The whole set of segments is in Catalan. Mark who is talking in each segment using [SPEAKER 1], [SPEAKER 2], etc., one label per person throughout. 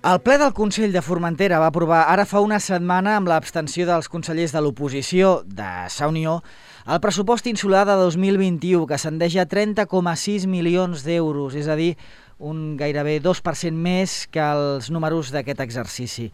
[SPEAKER 1] El ple del Consell de Formentera va aprovar ara fa una setmana, amb l'abstenció dels consellers de l'oposició de Sa Unió, el pressupost insular de 2021, que ascendeix a 30,6 milions d'euros, és a dir, un gairebé 2% més que els números d'aquest exercici.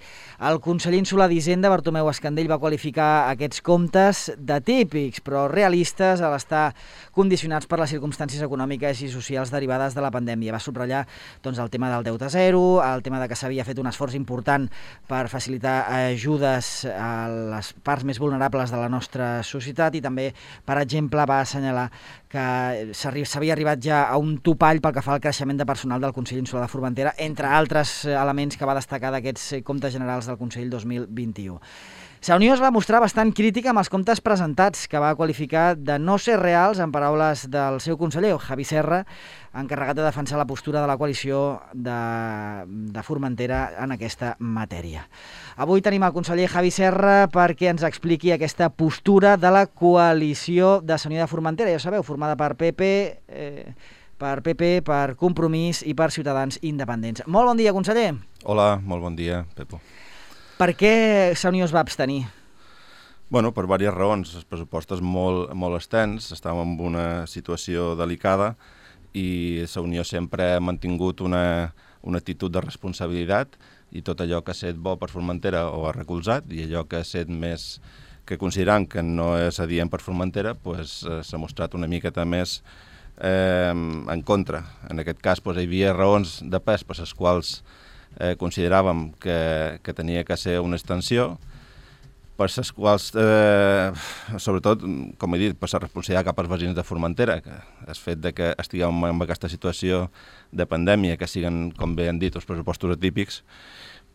[SPEAKER 1] El conseller insular d'Hisenda, Bartomeu Escandell, va qualificar aquests comptes de típics, però realistes, a l'estar condicionats per les circumstàncies econòmiques i socials derivades de la pandèmia. Va subratllar el tema del deute zero, el tema de que s'havia fet un esforç important per facilitar ajudes a les parts més vulnerables de la nostra societat i també, per exemple, va assenyalar que s'havia arribat ja a un topall pel que fa al creixement de personal del Consell Insular de Formentera, entre altres elements que va destacar d'aquests comptes generals del Consell 2021. Sa Unió es va mostrar bastant crítica amb els comptes presentats, que va qualificar de no ser reals, en paraules del seu conseller, Javi Serra, encarregat de defensar la postura de la coalició de Formentera en aquesta matèria. Avui tenim el conseller Javi Serra perquè ens expliqui aquesta postura de la coalició de Sa Unió de Formentera, ja sabeu, formada per PP, per Compromís i per Ciutadans Independents. Molt bon dia, conseller.
[SPEAKER 2] Hola, molt bon dia, Pepo.
[SPEAKER 1] Per què Sa Unió es va abstenir?
[SPEAKER 2] Bueno, per diverses raons. Els pressupostos molt extens, estàvem en una situació delicada i Sa Unió sempre ha mantingut una actitud de responsabilitat i tot allò que ha estat bo per Formentera ho ha recolzat i allò que ha estat més que considerant que no és adient per Formentera s'ha mostrat una miqueta més en contra. En aquest cas hi havia raons de pes per les quals consideràvem que tenia que ser una extensió, per les quals, sobretot, com he dit, per la responsabilitat cap als veïns de Formentera, que el fet de que estiguem en aquesta situació de pandèmia, que siguen, com bé han dit, els pressupostos atípics,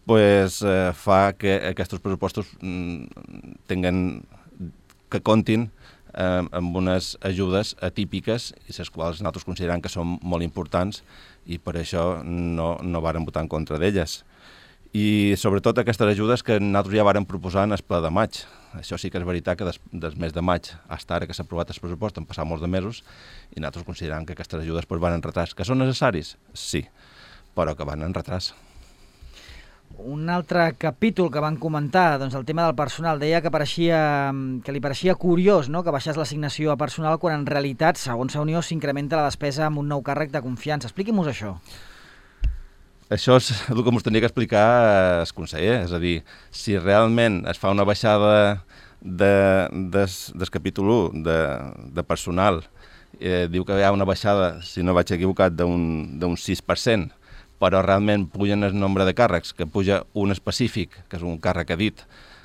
[SPEAKER 2] fa que aquests pressupostos que comptin amb unes ajudes atípiques i les quals nosaltres considerem que són molt importants i per això no vàrem votar en contra d'elles. I sobretot aquestes ajudes que nosaltres ja vàrem proposar en el ple de maig. Això sí que és veritat que des mes de maig fins ara que s'ha aprovat el pressupost han passat molts de mesos i nosaltres considerem que aquestes ajudes van en retras. Que són necessaris? Sí, però que van en retras.
[SPEAKER 1] Un altre capítol que van comentar, el tema del personal, deia que li pareixia curiós, no?, que baixés l'assignació a personal quan en realitat, segons Sa Unió, s'incrementa la despesa amb un nou càrrec de confiança. Expliqui-mos això.
[SPEAKER 2] Això és el que ens tenia que explicar el conseller, és a dir, si realment es fa una baixada del capítol 1 de personal, diu que hi ha una baixada, si no vaig equivocat, d'un 6%, però realment pugen el nombre de càrrecs, que puja un específic, que és un càrrec a dit,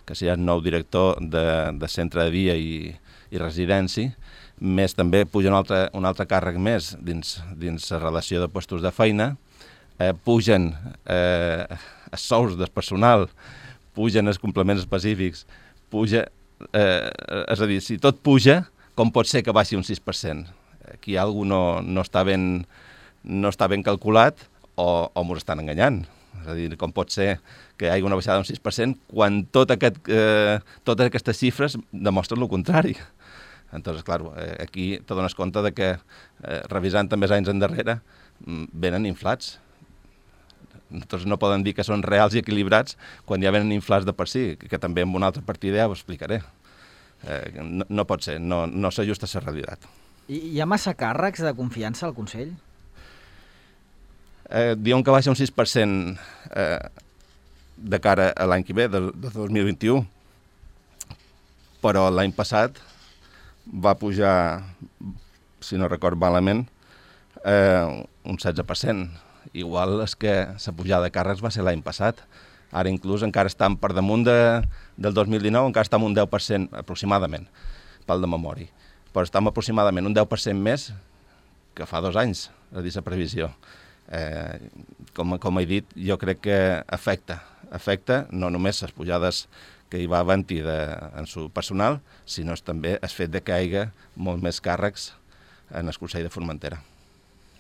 [SPEAKER 2] que serà el nou director de centre de dia i residència, més també puja un altre càrrec més dins la relació de postos de feina, pugen els sous del personal, pugen els complements específics, és a dir, si tot puja, com pot ser que baixi un 6%? Aquí alguna cosa no està ben calculat, o ens estan enganyant. És a dir, com pot ser que hi hagi una baixada d'un 6% quan totes aquestes xifres demostren el contrari. Entonces, clar, aquí te dones compte de que, revisant també els anys endarrere, venen inflats. Entonces no poden dir que són reals i equilibrats quan ja venen inflats de per si, que també en una altra partida ja ho explicaré. No pot ser, no s'ajusta a la realitat.
[SPEAKER 1] Hi ha massa càrrecs de confiança al Consell?
[SPEAKER 2] Diuen que baixa un 6% de cara a l'any que ve, de 2021, però l'any passat va pujar, si no record malament, un 16%. Igual és que la pujada de càrrecs va ser l'any passat. Ara inclús encara estan per damunt del 2019, encara estem un 10% aproximadament, pel de memòria. Però estem aproximadament un 10% més que fa 2 anys, a dir la previsió. Com he dit, jo crec que afecta no només les pujades que hi va haver-hi en el personal, sinó també el fet que hi hagi molt més càrrecs en el Consell de Formentera.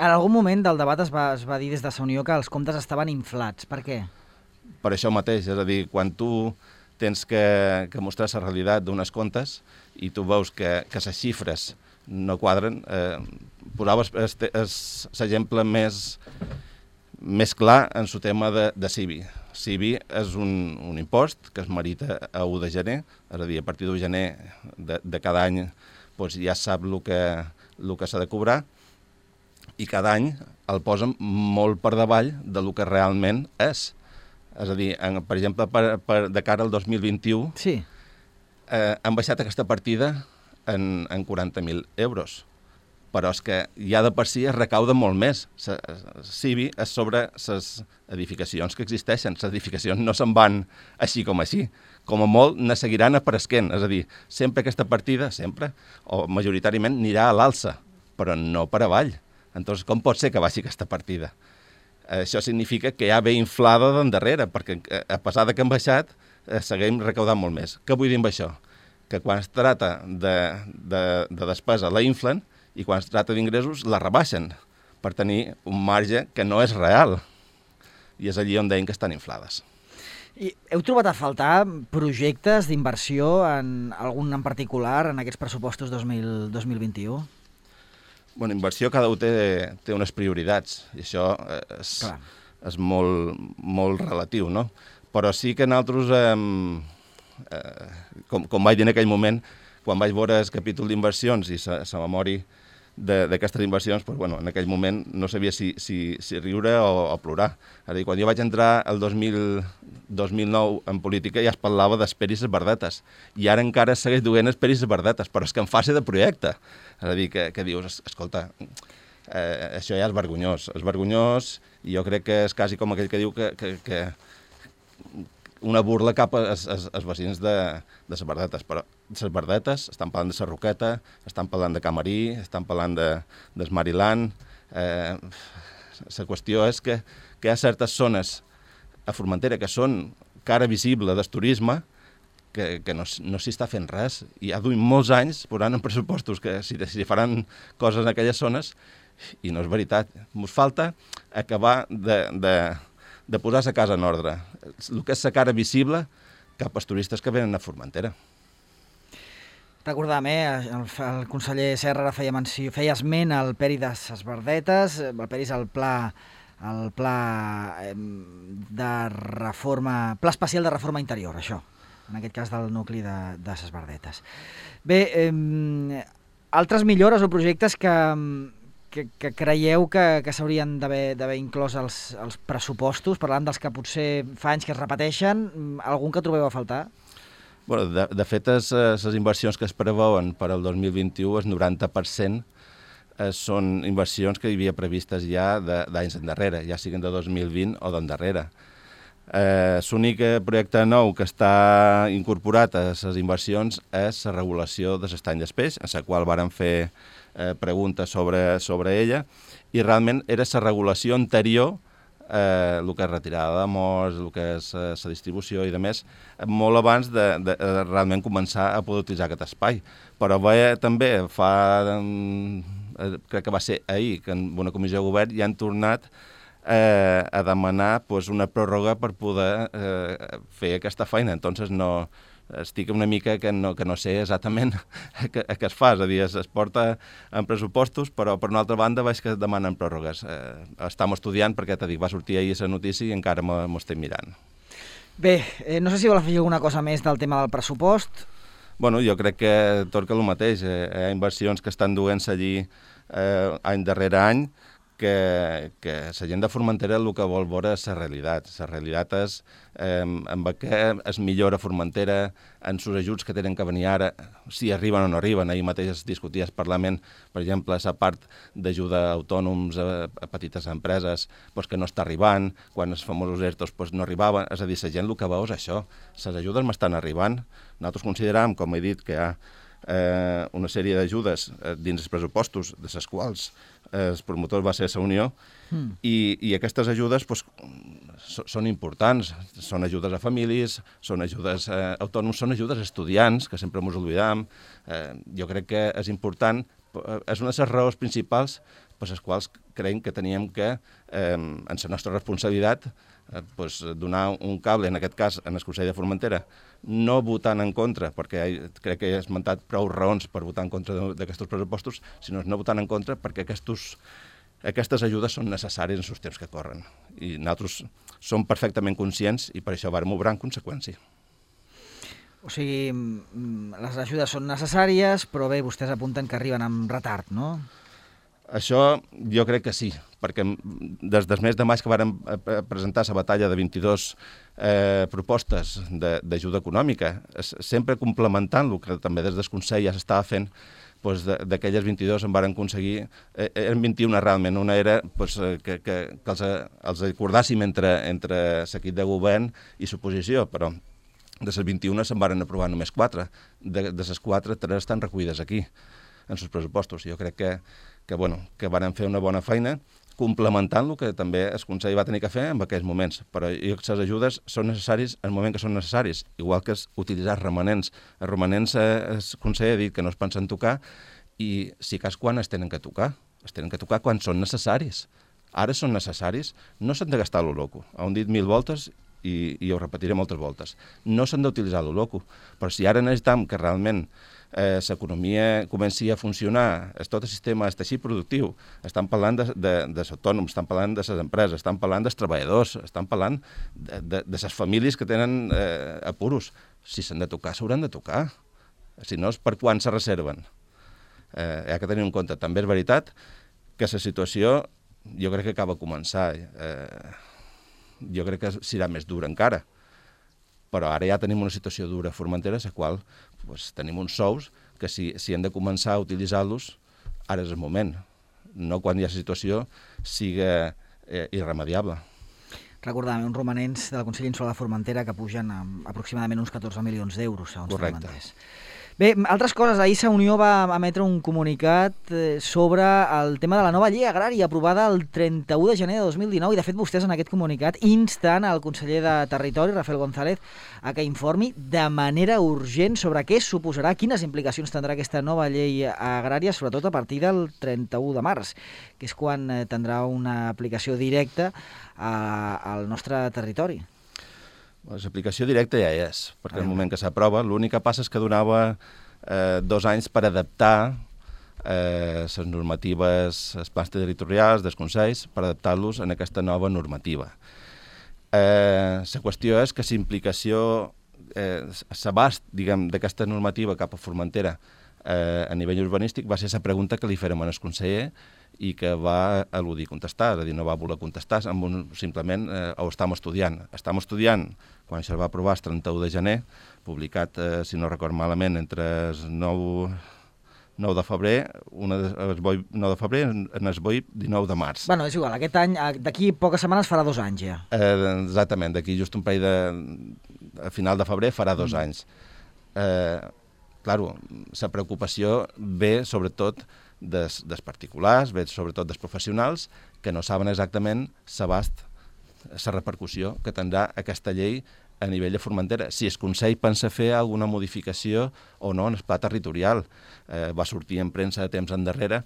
[SPEAKER 1] En algun moment del debat es va dir des de Sa Unió que els comptes estaven inflats. Per què?
[SPEAKER 2] Per això mateix, és a dir, quan tu tens que mostrar la realitat d'unes comptes i tu veus que les xifres no quadren, posava l'exemple més clar en el tema de Civi. CIBI és un impost que es merita a 1 de gener, és a dir, a partir de gener de cada any doncs ja sap el que s'ha de cobrar, i cada any el posen molt per davall del que realment és. És a dir, per exemple, de cara al 2021,
[SPEAKER 1] Sí.
[SPEAKER 2] Han baixat aquesta partida en 40.000 euros. Però és que ja de per si es recauda molt més. CIBI és sobre les edificacions que existeixen. Les edificacions no se'n van així com així. Com a molt, ne seguiran apareixent. És a dir, sempre aquesta partida, sempre, o majoritàriament, anirà a l'alça, però no per avall. Entonces, com pot ser que baixi aquesta partida? Això significa que ja ve inflada d'endarrere, perquè a pesar de que han baixat, seguim recaudant molt més. Què vull dir amb això? Que quan es tracta de despesa la inflen, i quan es tracta d'ingressos la rebaixen per tenir un marge que no és real. I és allí on deien que estan inflades.
[SPEAKER 1] I heu trobat a faltar projectes d'inversió en algun en particular en aquests pressupostos 2021?
[SPEAKER 2] Bueno, inversió cada un té unes prioritats, i això és molt relatiu, no? Però sí que nosaltres, com vaig dir en aquell moment, quan vaig veure el capítol d'inversions i la memòria d'aquestes inversions, doncs, bueno, en aquell moment no sabia si riure o plorar. És a dir, quan jo vaig entrar el 2009 en política ja es parlava d'esperis i verdetes, i ara encara segueix duent esperis i verdetes, però és que en fase de projecte. És a dir, que dius, escolta, això ja és vergonyós, i jo crec que és quasi com aquell que diu que una burla cap als veïns de les verdetes, però les verdetes estan parlant de la Roqueta, estan parlant de Camarí, estan parlant del Mariland. La qüestió és que hi ha certes zones a Formentera que són cara visible del turisme que no s'hi està fent res, i ja duim molts anys posant en pressupostos que si faran coses en aquelles zones, i no és veritat. Ens falta acabar de posar la casa en ordre. El que és la cara visible cap als turistes que venen a Formentera.
[SPEAKER 1] Recordàvem, el conseller Serra feia esment al Peri de ses Verdetes, el Peri és el pla de reforma, pla especial de reforma interior, això, en aquest cas del nucli de ses Verdetes. Bé, altres millores o projectes que creieu que s'haurien d'haver inclòs als pressupostos, parlant dels que potser fa anys que es repeteixen, algun que trobeu a faltar?
[SPEAKER 2] Bueno, de fet, les inversions que es preveuen per al 2021, el 90% són inversions que hi havia previstes ja d'anys endarrere, ja siguin de 2020 o d'endarrere. L'únic projecte nou que està incorporat a les inversions és la regulació de l'estany del peix, en la qual vàrem fer preguntes sobre ella, i realment era la regulació anterior, el que és retirada de morts, el que és la distribució i demés, molt abans de realment començar a poder utilitzar aquest espai. Però també crec que va ser ahir, que en una comissió de govern ja han tornat a demanar una pròrroga per poder fer aquesta feina. Entonces estic una mica que no sé exactament què es fa, és a dir, es porta en pressupostos, però per una altra banda veig que demanen pròrrogues. Estem estudiant perquè, t'he dit, va sortir ahir la notícia i encara m'ho estem mirant.
[SPEAKER 1] Bé, no sé si vol afegir alguna cosa més del tema del pressupost.
[SPEAKER 2] Bueno, jo crec que tot que el mateix. Hi ha inversions que estan duent-se allí any darrere any, que la gent de Formentera el que vol veure és la realitat. La realitat és amb què es millora Formentera, en els ajuts que tenen que venir ara, si arriben o no arriben. Ahir mateix es discutia al Parlament, per exemple, la part d'ajuda a autònoms, a petites empreses, que no està arribant, quan els famosos ERTOs no arribaven. És a dir, la gent el que veu és això. Les ajudes m'estan arribant. Nosaltres considerem, com he dit, que hi ha una sèrie d'ajudes dins els pressupostos, de les quals el promotor va ser la Unió, i aquestes ajudes són importants. Són ajudes a famílies, són ajudes a autònoms, són ajudes a estudiants, que sempre ens oblidam. Jo crec que és important, és una de les raons principals per les quals creiem que teníem que, en la nostra responsabilitat, donar un cable, en aquest cas, en el Consell de Formentera, no votant en contra, perquè crec que he esmentat prou raons per votar en contra d'aquests pressupostos, sinó no votant en contra perquè aquests aquestes ajudes són necessàries en els temps que corren. I nosaltres som perfectament conscients i per això vam obrar en conseqüència.
[SPEAKER 1] O sigui, les ajudes són necessàries, però bé, vostès apunten que arriben amb retard, no?
[SPEAKER 2] Això jo crec que sí, perquè des del mes de maig que vàrem presentar la batalla de 22 propostes d'ajuda econòmica, sempre complementant el que també des del Consell ja s'estava fent, d'aquelles 22 en varen aconseguir, eren 21 realment, una era que els acordàssim entre l'equip de govern i l'oposició, però de les 21 se'n varen aprovar només 4. De les 4, 3 estan recollides aquí, en els pressupostos. Jo crec que varen fer una bona feina complementant el que també el Consell va tenir que fer en aquells moments. Però jo crec que les ajudes són necessàries en el moment que són necessaris, igual que utilitzar els romanents. Els romanents, el Consell ha dit que no es pensen tocar i si cas quan es tenen que tocar. Es tenen que tocar quan són necessaris. Ara són necessaris, no s'han de gastar lo loco. Ho hem dit 1000 voltes i ho repetiré moltes voltes. No s'han d'utilitzar lo loco, però si ara necessitem que realment l'economia comenci a funcionar, tot el sistema, el teixit productiu, estan parlant dels autònoms, estan parlant de les empreses, estan parlant dels treballadors, estan parlant de les famílies que tenen apuros. Si s'han de tocar, s'hauran de tocar. Si no, és per quan se reserven. Hi ha que tenir en compte. També és veritat que la situació jo crec que acaba de començar. Jo crec que serà més dura encara, però ara ja tenim una situació dura a Formentera, a la qual tenim uns sous que si hem de començar a utilitzar-los, ara és el moment, no quan hi ha la situació siga irremediable.
[SPEAKER 1] Recordàvem, uns romanents del Consell Insular de Formentera que pugen a aproximadament uns 14 milions d'euros, segons
[SPEAKER 2] Correcte.
[SPEAKER 1] Formenters. Bé, altres coses. Ahir la Unió va emetre un comunicat sobre el tema de la nova llei agrària aprovada el 31 de gener de 2019 i, de fet, vostès en aquest comunicat insten al conseller de Territori, Rafael González, a que informi de manera urgent sobre què suposarà, quines implicacions tindrà aquesta nova llei agrària, sobretot a partir del 31 de març, que és quan tindrà una aplicació directa al nostre territori.
[SPEAKER 2] L'aplicació directa ja és, perquè en el moment que s'aprova, l'únic que passa és que donava 2 anys per adaptar les normatives, els plans territorials dels consells, per adaptar-los en aquesta nova normativa. La qüestió és que l'implicació, l'abast, diguem, d'aquesta normativa cap a Formentera a nivell urbanístic va ser la pregunta que li fèrem al conseller i que va eludir contestar, és a dir, no va voler contestar, simplement ho estem estudiant. Estem estudiant, quan això es va aprovar el 31 de gener, publicat, si no record malament, entre el 9 de febrer, el 9 de febrer en el 19 de març.
[SPEAKER 1] Bueno, és igual, aquest any, d'aquí poques setmanes farà 2 anys ja.
[SPEAKER 2] Exactament, d'aquí just un parell a final de febrer farà 2 anys. Claro, la preocupació ve sobretot dels particulars, ve sobretot dels professionals, que no saben exactament l'abast, la repercussió que tindrà aquesta llei a nivell de Formentera. Si el Consell pensa fer alguna modificació o no en el pla territorial. Va sortir en premsa de temps endarrere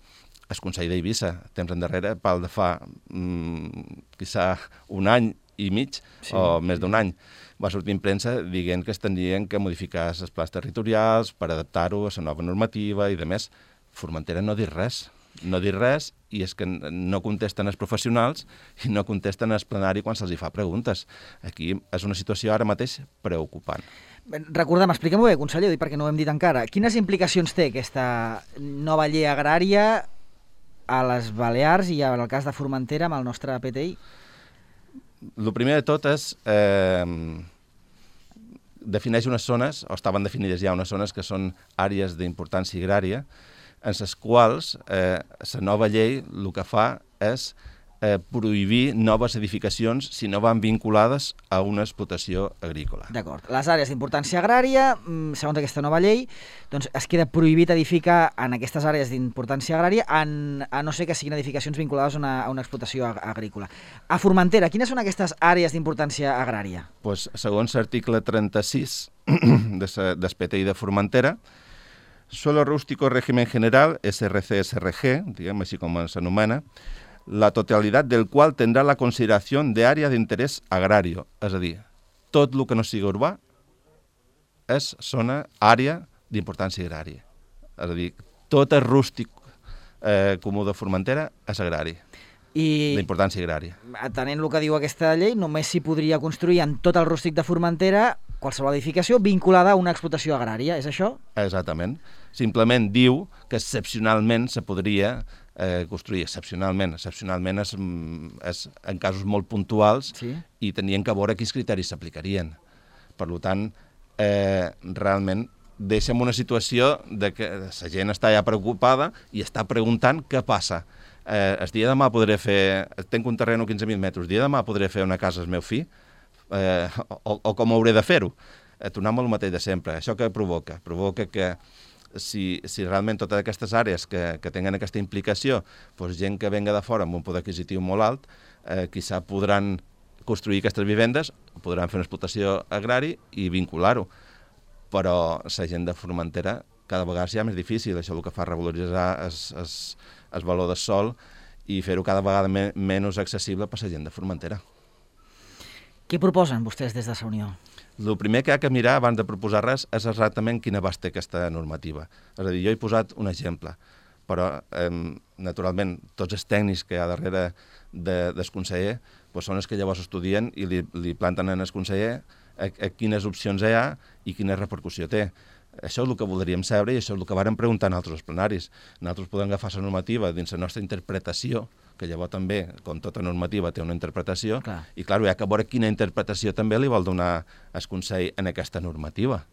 [SPEAKER 2] el Consell d'Eivissa, temps endarrere, pel de fa quizà 1 any i mig, sí, o més d'1 any. Va sortir en premsa dient que es tindrien que modificar els plans territorials per adaptar-ho a la nova normativa i de més. Formentera no diu res, i és que no contesten els professionals i no contesten els plenari quan se'ls fa preguntes. Aquí és una situació ara mateix preocupant.
[SPEAKER 1] Recordem, expliquem-ho bé, conseller, perquè no ho hem dit encara. Quines implicacions té aquesta nova llei agrària a les Balears i en el cas de Formentera amb el nostre PTI?
[SPEAKER 2] El primer de tot és defineix unes zones, o estaven definides ja unes zones que són àrees d'importància agrària, en les quals la nova llei el que fa és prohibir noves edificacions si no van vinculades a una explotació agrícola.
[SPEAKER 1] D'acord. Les àrees d'importància agrària, segons aquesta nova llei, doncs es queda prohibit edificar en aquestes àrees d'importància agrària a no ser que siguin edificacions vinculades a una explotació agrícola. A Formentera, quines són aquestes àrees d'importància agrària?
[SPEAKER 2] Pues, segons l'article 36 del PTI de Formentera, suelo rústico régimen general, SRC-SRG, diguem així com s'anomena, la totalitat del qual tindrà la consideració d'àrea d'interès agrari. És a dir, tot el que no sigui urbà és àrea d'importància agrària. És a dir, tot el rústic comú de Formentera és agrari. d'importància agrària.
[SPEAKER 1] Atenent el que diu aquesta llei, només s'hi podria construir en tot el rústic de Formentera qualsevol edificació vinculada a una explotació agrària, és això?
[SPEAKER 2] Exactament. Simplement diu que excepcionalment se podria construir, excepcionalment és en casos molt puntuals, sí, i tenien que veure quins criteris s'aplicarien. Per tant, realment deixem una situació de que la gent està ja preocupada i està preguntant què passa. El dia de demà podré fer... Tenc un terreny a 15.000 metres, el dia de demà podré fer una casa al meu fill? O com hauré de fer-ho? Tornem al mateix de sempre. Això què provoca? Provoca que si realment totes aquestes àrees que tenen aquesta implicació, doncs gent que venga de fora amb un poder adquisitiu molt alt, quizà podran construir aquestes vivendes, podran fer una explotació agrària i vincular-ho. Però la gent de Formentera cada vegada ja és més difícil. Això el que fa revaloritzar el valor del sòl i fer-ho cada vegada menys accessible per la gent de Formentera.
[SPEAKER 1] Què proposen vostès des de la Unió?
[SPEAKER 2] El primer que ha de mirar abans de proposar res és exactament quin abast té aquesta normativa. És a dir, jo he posat un exemple, però naturalment tots els tècnics que hi ha darrere del conseller són els que llavors estudien i li planten al conseller quines opcions hi ha i quina repercussió té. Això és el que voldríem saber i això és el que vàrem preguntar en altres plenaris. Nosaltres podem agafar la normativa dins la nostra interpretació, que llavors també, com tota normativa, té una interpretació, i clar, hi ha que veure quina interpretació també li vol donar el Consell en aquesta normativa.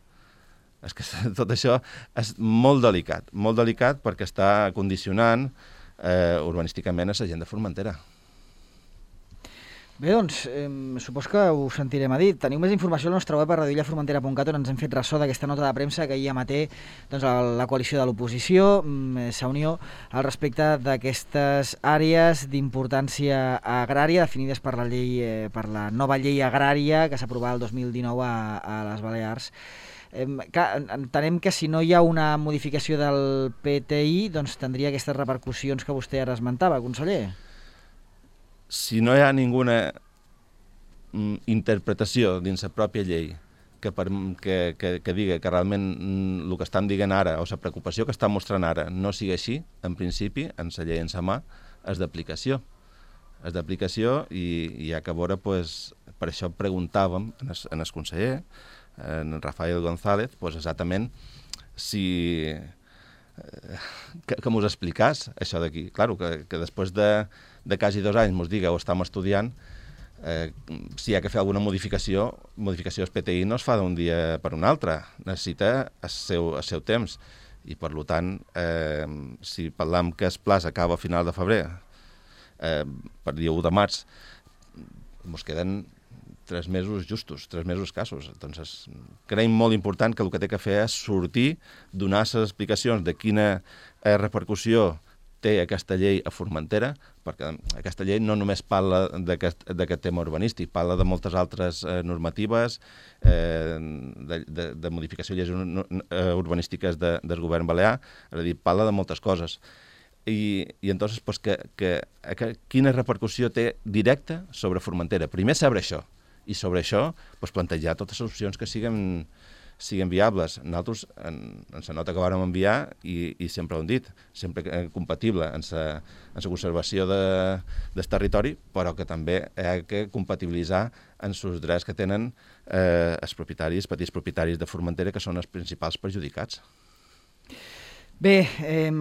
[SPEAKER 2] És que tot això és molt delicat perquè està condicionant urbanísticament a la gent de Formentera.
[SPEAKER 1] Bé, doncs, supos que ho sentirem a dir. Teniu més informació al nostre web a radioillaformentera.cat, on ens hem fet ressò d'aquesta nota de premsa que ahir emeté la coalició de l'oposició, la Unió, al respecte d'aquestes àrees d'importància agrària definides per la nova llei agrària que s'aprovava el 2019 a les Balears. Entenem que si no hi ha una modificació del PTI, doncs tindria aquestes repercussions que vostè ara esmentava, conseller.
[SPEAKER 2] Si no hi ha ninguna interpretació dins la pròpia llei que diga que realment el que estan dient ara o la preocupació que estan mostrant ara no sigui així, en principi, en la llei en sa mà, és d'aplicació. És d'aplicació i hi ha que veure, per això preguntàvem en el conseller, en Rafael González, exactament que mos explicàs això d'aquí. Claro, que després de quasi 2 anys mos diga o estem estudiant si hi ha que fer alguna modificació del PTI no es fa d'un dia per un altre, necessita el seu temps i per tant si parlam que el pla s'acaba a final de febrer per dia 1 de març mos queden 3 mesos justos, 3 mesos escassos. Entonces, creiem molt important que el que té que fer és sortir, donar les explicacions de quina repercussió té aquesta llei a Formentera, perquè aquesta llei no només parla d'aquest tema urbanístic, parla de moltes altres normatives, de modificació de lleis urbanístiques del govern balear, és a dir, parla de moltes coses. I entonces, quina repercussió té directa sobre Formentera? Primer saber això, i sobre això plantejar totes les opcions que siguin viables. Nosaltres, en la nota que vàrem enviar, i sempre ho hem dit, sempre compatible en la conservació del territori, però que també hi ha que compatibilitzar en els drets que tenen els propietaris, petits propietaris de Formentera, que són els principals perjudicats.
[SPEAKER 1] Bé,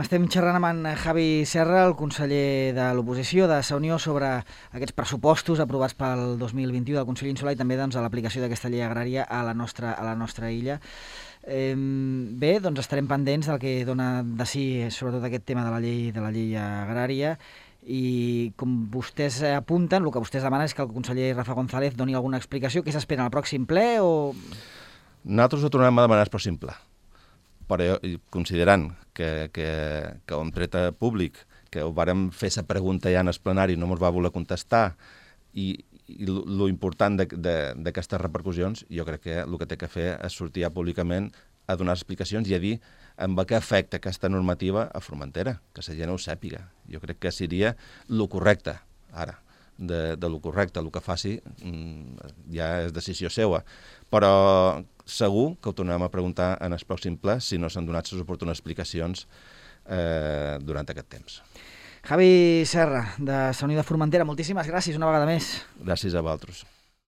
[SPEAKER 1] estem xerrant amb en Javi Serra, el conseller de l'oposició de la Unió, sobre aquests pressupostos aprovats pel 2021 del Consell Insular i també a l'aplicació d'aquesta llei agrària a la nostra illa. Bé, doncs estarem pendents del que dona de si, sobretot aquest tema de la llei agrària, i com vostès apunten, el que vostès demanen és que el conseller Rafa González doni alguna explicació. Què s'espera al pròxim ple?
[SPEAKER 2] Nosaltres ho tornem a demanar al pròxim ple, però considerant que ho hem tret a públic, que ho vàrem fer la pregunta ja en el plenari, no ens va voler contestar, i lo important d'aquestes repercussions, jo crec que el que té que fer és sortir ja públicament a donar explicacions i a dir amb què afecta aquesta normativa a Formentera, que la gent ho sàpiga. Jo crec que seria el correcte, ara, de lo correcte. El que faci ja és decisió seva. Però segur que ho tornem a preguntar en el pròxim ple si no s'han donat les oportunes explicacions durant aquest temps.
[SPEAKER 1] Javi Serra, de Sa Unió de Formentera, moltíssimes gràcies una vegada més.
[SPEAKER 2] Gràcies a vosaltres.